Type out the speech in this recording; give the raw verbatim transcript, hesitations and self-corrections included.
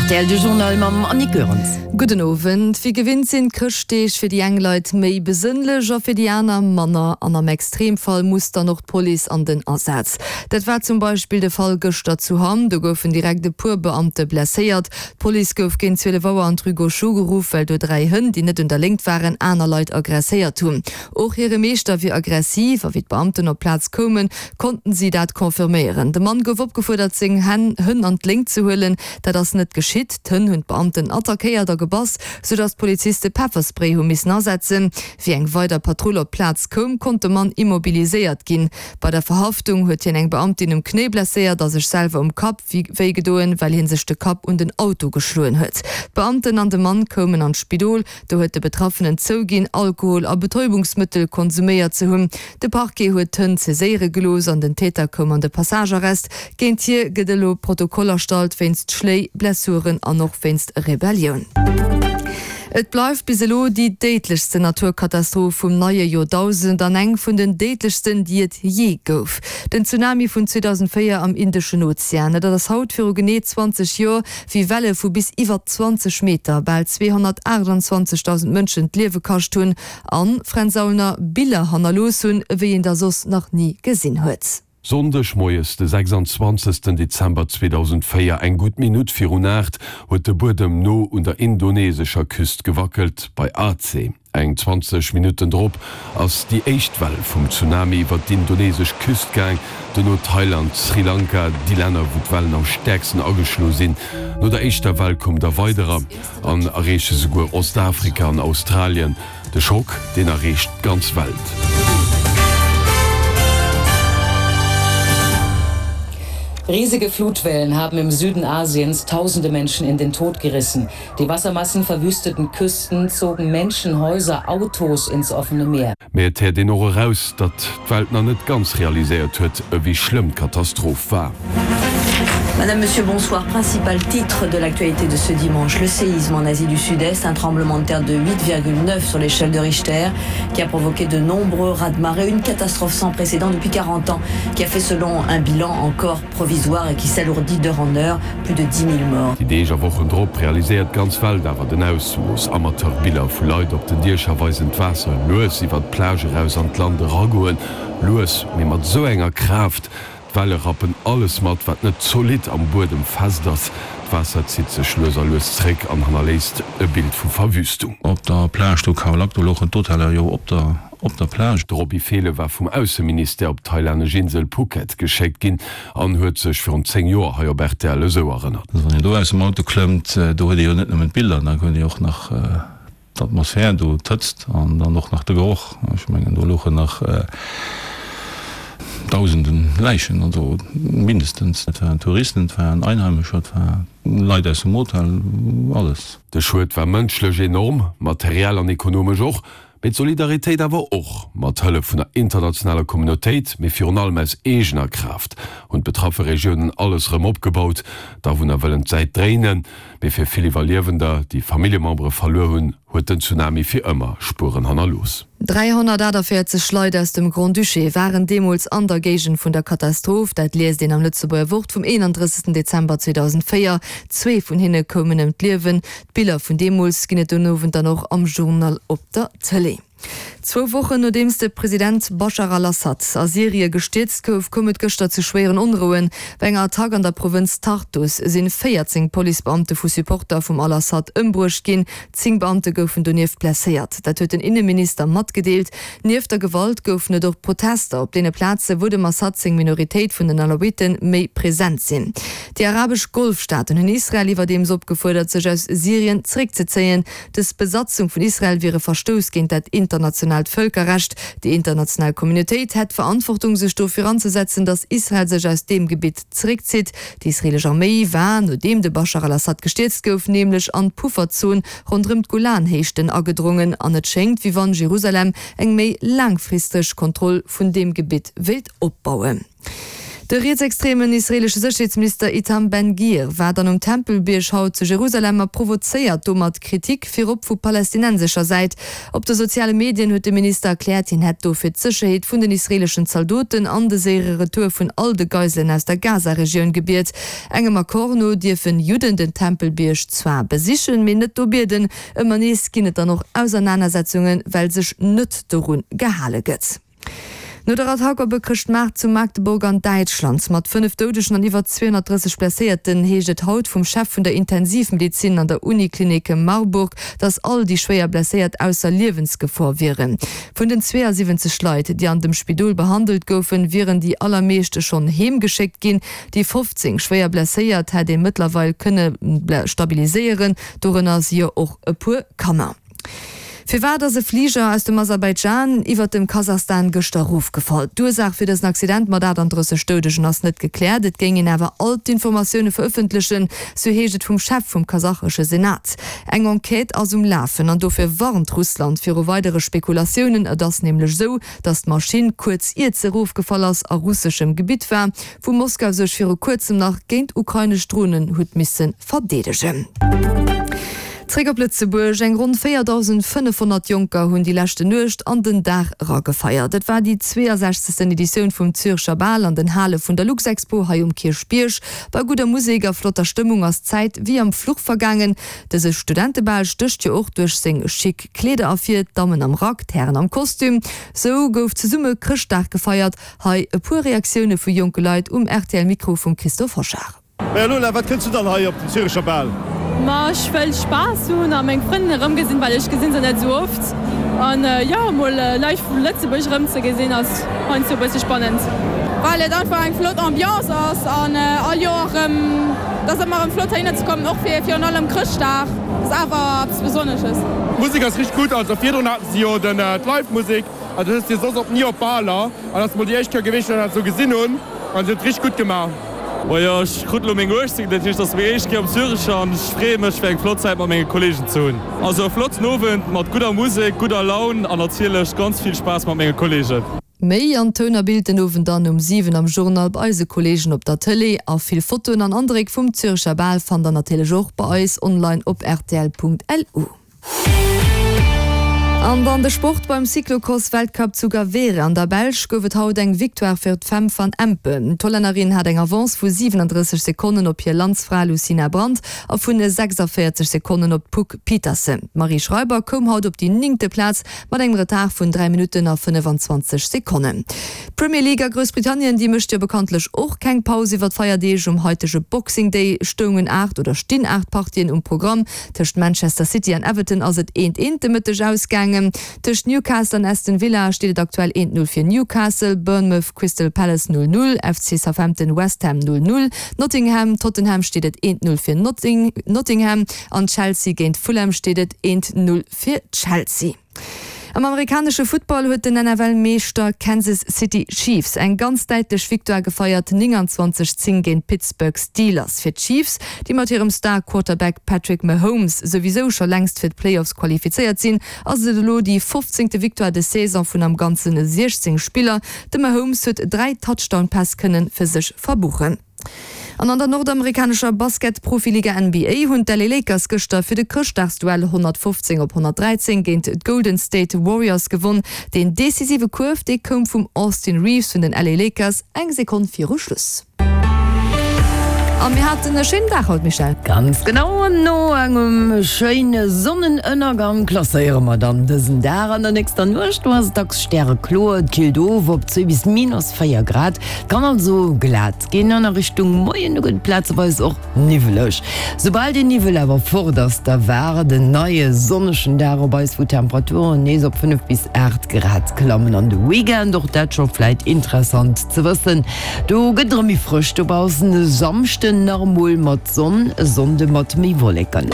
R T L de Journal mam Annick Goerens. Gudden Owend. Wéi gewinnt sinn d'Chrëschtdeeg fir déi eng Leit méi besënnlech a fir déi aner manner. An am Extremfall muss dann och d'Police an den Asaz. Dat war zum Beispill de Fall gëschter zu Hamm. Do goufen direkt e puer Beamte blesséiert. D'Police gouf géint zwielef Auer an d'Rue Gauchot geruff, well do dräi Hënn, déi net un der Léngt waren, aner Leit aggresséiert hunn. Och hire Meeschter wier aggressiv a wéi d'Beamten op d'Plaz koumen, konnten si dat confirméieren. De Mann gouf opgefuerdert, seng Hënn an d'Léngt ze huelen. Dat ass net geschitt. D'Hënn hunn d'Beamten attackéiert a gebass, soudass d'Poliziste Pefferspray hu missen asetzen. Wéi eng weider Patrull op d'Plaz koum, konnt de Mann immobiliséiert ginn. Bei der Verhaftung huet hien eng Beamtin um Knéi blesséiert a sech selwer um Kapp wéi gedoen, well hie sech de Kapp un den Auto geschloen huet. D'Beamten an de Mann koumen an d'Spidol. Do huet de Betraffenen zouginn, Alkohol a Betäubungsmëttel konsuméiert ze hunn. De Parquet huet d'Hënn saiséiere gelooss an den Täter koum an de Passagearrest. Géint hie gëtt elo Protokoll erstallt wéinst Schléi, Blessuren an och wéinst Rebellioun. Et bleift bis elo déi déidlechsten Naturkatastroph vum neie Joerdausend an eng vun den déidlechsten, déi et jee gouf, den Tsunami vun zweedausendvéier am Indeschen Ozean. Et ass haut viru genee zwanzeg Joer, wéi Welle vu bis iwwer zwanzeg Meter bal zweehonnertaachtanzwanzegdausend Mënschen d'Liewe kascht hunn an, Fränz Aulner, Biller hannerlooss hunn, ewéi een der soss nach ni gesinn huet. Sonndeg moies de sechsanzwanzegsten Dezember zweedausendvéier, eng gutt Minutt virun aacht, huet de Buedem no un der indonesescher Küst gewackelt, bei Aceh. Eng zwanzeg Minutten drop ass déi éischt Well vum Tsunami iwwer d'indonesesch Küst gaang, duerno Thailand, Sri Lanka, déi Länner wou d'Wellen am stäerksten ageschloe sinn. No der éischter Well koum der weiderer an erreeche souguer Ostafrika an Australien. De Schock, deen erreecht d'ganz Welt. Riesige Flutwellen haben im Süden Asiens tausende Menschen in den Tod gerissen. Die Wassermassen verwüsteten Küsten, zogen Menschen, Häuser, Autos ins offene Meer. Mee et héiert een och eraus, datt d'Welt nach net ganz realiséiert huet, ewéi schlëmm d'Katastroph war. Madame, Monsieur, bonsoir. Principal titre de l'actualité de ce dimanche, le séisme en Asie du Sud-Est, un tremblement de terre de huit virgule neuf sur l'échelle de Richter, qui a provoqué de nombreux raz-de-marée, une catastrophe sans précédent depuis quarante ans, qui a fait selon un bilan encore provisoire et qui s'alourdit d'heure en heure, plus de dix mille morts. Déi Deeg a Wochen drop realiséiert d'ganz Welt awer den Ausmooss. Amateurbiller vu Leit op den Diecher weisen d'Waasser lues iwwer d'Plage eraus an d'Land eragoen. Lues, mee mat esou enger Kraaft. D'Welle rappen alles mat, wat net zolidd am Buedem fest ass. D'Waasser zitt sech lues a lues zréck an hannerléisst e Bild vu Verwüstung. Op der Plage do Khao Lak, do louchen d'Hoteller jo op der op der Plage. De Roby Fehlen war vum Ausseministère op d'thailännesch Insel Phuket geschéckt ginn an huet sech virun zéng Joer hei op R T L esou erënnert. Also wann een do aus dem Auto klëmmt, do huet ee jo net nëmmen d'Biller, da huet ee och nach d'Atmosphär do, d'Hëtzt an dann och nach de Geroch. Ech mengen, do louchen nach Dausenden Läichen, also mindestens. Et waren Touristen, et waren Einheimescher, et war Leit aus dem Hotel, alles. De Schued war mënschlech enorm, materiell an ekonomesch och, mee d'Solidaritéit awer och. Mat Hëllef vun der internationaler Communautéit, mee virun allem aus eegener Kraaft, hunn d'betraffe Regiounen alles erëm opgebaut. D'Awunner wëllen d'Säit dréinen, mee fir vill Iwwerliewender, déi Familljemembere verluer hunn, huet den Tsunami fir ëmmer Spueren hannerlooss. Dräihonnertaachtavéierzeg Leit aus dem Grand-Duché waren deemools an der Géigend vun der Katastroph. Dat liest een am Lëtzebuerger Wort vum eenandrëssegsten Dezember zweedausendvéier. Zwee vun hinne koumen ëm d'Liewen. D'Biller vun deemools ginn et den Owend dann och am Journal op der Tëlee. Zwou Wochen nodeems de President Baschar al-Assad a Syrie gestierzt gouf, koum et gëschter zu schwéieren Onrouen. Bei enger Attack an der Provënz Tartus sinn véierzéng Policebeamte vu Supporter vum al-Assad ëmbruecht ginn. Zéng Beamte goufen donieft blesséiert. Dat huet den Inneminister matgedeelt. Nieft der Gewalt goufen et och Protester op deene Plaze wou dem Assad seng Minoritéit vun den Alawiten méi present sinn. Déi arabesch Golfstaaten hunn Israel iwwerdeems opgefuerdert, sech aus Syrien zeréckzezéien. Dës Besatzung vun Israel wier e Verstouss géint dat internationaalt Vëlkerrecht. Déi international Communautéit hätt d'Verantwortung, sech dofir anzesetzen, datt Israel sech aus deem Gebitt zeréckzitt. Déi israeelesch Arméi war, nodeem de Baschar al-Assad gestierzt gouf, nämlech an d'Pufferzon ronderëm d'Golanhéichten agedrongen an et schéngt, wéi wann Jerusalem eng méi laangfristeg Kontroll vun deem Gebitt wéilt opbauen. De rietsextremen israeelesche Sécherheetsminister Itam Ben-Gvir war dann um Tempelbierg haut zu Jerusalem a provozéiert domat Kritik, virop vu palästinensescher Säit. Op de soziale Medien huet de Minister erkläert, hien hätt do fir d'Sécherheet vun den israeeleschen Zaldoten an de séiere Retour vun all de Geiselen aus der Gaza-Regioun gebiet. Engem Accord no dierfen Judden den Tempelbierg zwar besichen, mee net do bieden. Ëmmer nees ginn et dann och Ausernanersetzungen, well sech net dorun gehale gëtt. No der Attack op e Chrëschtmaart zu Magdeburg an Däitschland mat fënnef Doudegen an iwwer zweehonnertdrësseg Blesséierten heescht et haut vum Chef vun der Intensivmedezin an der Uniklinik Marburg, datt all déi schwéier Blesséiert ausser Liewensgefor wieren. Vun den zweeasiwwenzeg Leit, déi an dem Spidol behandelt goufen, wieren déi allermeescht schonn heem geschéckt ginn. Déi fofzéng schwéier Blesséiert hätt ee mëttlerweil kënne stabiliséieren, dorënner si jo och e puer Kanner. Firwat ass e Fliger aus dem Aserbaidschan iwwert dem Kasachstan gëschter erofgefall? D'Ursaach fir dësen Accident mat achtandrësseg Doudegen ass net gekläert. Et géing een awer all d'Informatioune verëffentlechen, sou heescht et vum Chef vum kasachesche Senat. Eng Enquête ass um Lafen an dofir warnt Russland viru weidere Spekulatiounen. Et ass nämlech esou, datt d'Maschinn kuerz iert se erofgefall ass a russeschem Gebitt war, wou Moskau sech viru kuerzem nach géint ukrainesch Dronen huet misse verdeedegen. Zréck op Lëtzebuerg, Eng ronn véierdausendfënnefhonnert Jonker hunn déi leschte Nuecht an den Dag era gefeiert. Et war déi zweeësechzegsten Editioun vum Zürecher Bal an den Hale vun der Luxexpo hei um Kierchbierg. Bei gudder Musek a flotter Stëmmung ass d'Zäit wéi am Fluch vergaangen. Dëse Studentebal stécht jo och duerch seng chic Kleeder ervir, d'Dammen am Rack, d'Hären am Kostüm. Sou gouf zesumme Chrëschtdag gefeiert. Hei e puer Reaktioune vu jonke Leit um R T L-Mikro vum Christophe Hochard. Maja Lola, wat kënns du dann hei op den Zürecher Bal? Ma ech wëll Spaass hunn a meng Frënn erëmgesinn, well ech gesinn se net esou oft. An jo, emol Leit vu Lëtzebuerg erëmzegesinn ass heiansdo e bësse spannend. Well et einfach eng flott Ambiance ass an all Joer erëm, et ass ëmmer erëm flott heihinner ze kommen, och fir virun allem Chrëschtdag ass awer eppes Besonnesches. D'Musek ass richteg gutt, also virdrun haten se jo den d'Live-Musek, also dat ass jo soss och ni op Baler an ass mol déi éischt Kéier gewiescht, wou ech dat esou gesinn hunn an se huet richteg gutt gemaach. Majo, ech krut elo meng uechtzéng, dat heescht, et ass meng éischt Kéier am Zürecher an ech freeë mech fir eng flott Zäit mat menge Kolleegen ze hunn. Also e flotten Owend mat gudder Musek, gudder Laun an natierlech ganz vill Spaass mat menge Kolleegen. Méi an Toun a Bild den Owend dann um siwen am Journal bei eise Kolleegen op der Tëlee. A vill Fotoen an Andréck vum Zürecher Bal fannt der natierlech och bei eis online op rtl Punkt L U. An dann de Sport, Beim Cyclocross-Weltcup zu Gavere an der Belsch gouf et haut eng Victoire fir d'Fem van Impe. D'Hollännerin hat eng Avance vu siwenandrësseg Sekonnen op hir Landsfra Lucina Brand a vun sechsavéierzeg Sekonnen op d'Puck Pieterse. D'Marie Schreiber koum haut op déi néngte Plaz mat engem Retard vun dräi Minutten a fënnefenzwanzeg Sekonnen. D'Premier League a Groussbritannien, déi mécht jo bekanntlech och keng Paus iwwer d'Feierdeeg. Um haitege Boxing Day stoungen aacht oder stinn aacht Partien um Programm. Tëscht Manchester City an Everton ass et eent eent de Mëtteg ausgaangen. Tëscht Newcastle an Aston Villa steet et aktuell eent Null fir Newcastle, Bournemouth, Crystal Palace null null, F C Southampton, West Ham null null, Nottingham, Tottenham steet et eent Null fir Nottingham an Chelsea géint Fulham steet et eent Null fir Chelsea. Am amerikanesche Football huet den N F L-Meeschter Kansas City Chiefs eng ganz däitlech Victoire gefeiert, nénganzwanzeg zéng géint d'Pittsburgh Steelers. Fir d'Chiefs, déi mat hirem Star-Quarterback Patrick Mahomes souwisou scho längst fir d'Playoffs qualifizéiert sinn, ass et elo déi fofzéngte Victoire des Saison vun am Ganze siechzéng Spiller. De Mahomes huet dräi Touchdown-Päss kënne fir sech verbuchen. An an der nordamerikanescher Basket-Profiliga N B A hunn d'L A Lakers gëschter fir de Chrëschtdagsduell honnertfofzéng op honnertdräizéng géint d'Golden State Warriors gewonn. Deen decisive Kuerf, dee koum vum Austin Reaves vun den L A Lakers eng Sekonn viru Schluss. A mir haten e schéinen Dag haut, Michèle. Ganz genau, no engem schéine Sonnenënnergang klasséiere mer dann dësen Dag. An der nächster Nuecht do ass et dacks stärekloer, et killt of op zwee bis minus véier Grad, et kann also glat ginn. An a Richtung Moien do gëtt et plazeweis och niwweleg. Soubal den Niwwel awer fort ass, da waart en neie sonnegen Dag op eis, wou d'Temperaturen nees op fënnef bis aacht Grad klammen. An de Weekend, och dat scho vläit interessant ze wëssen, do gëtt et erëm méi frësch dobaussen. E Samschden nach emol mat Sonn, e Sonnde mat méi Wolleken.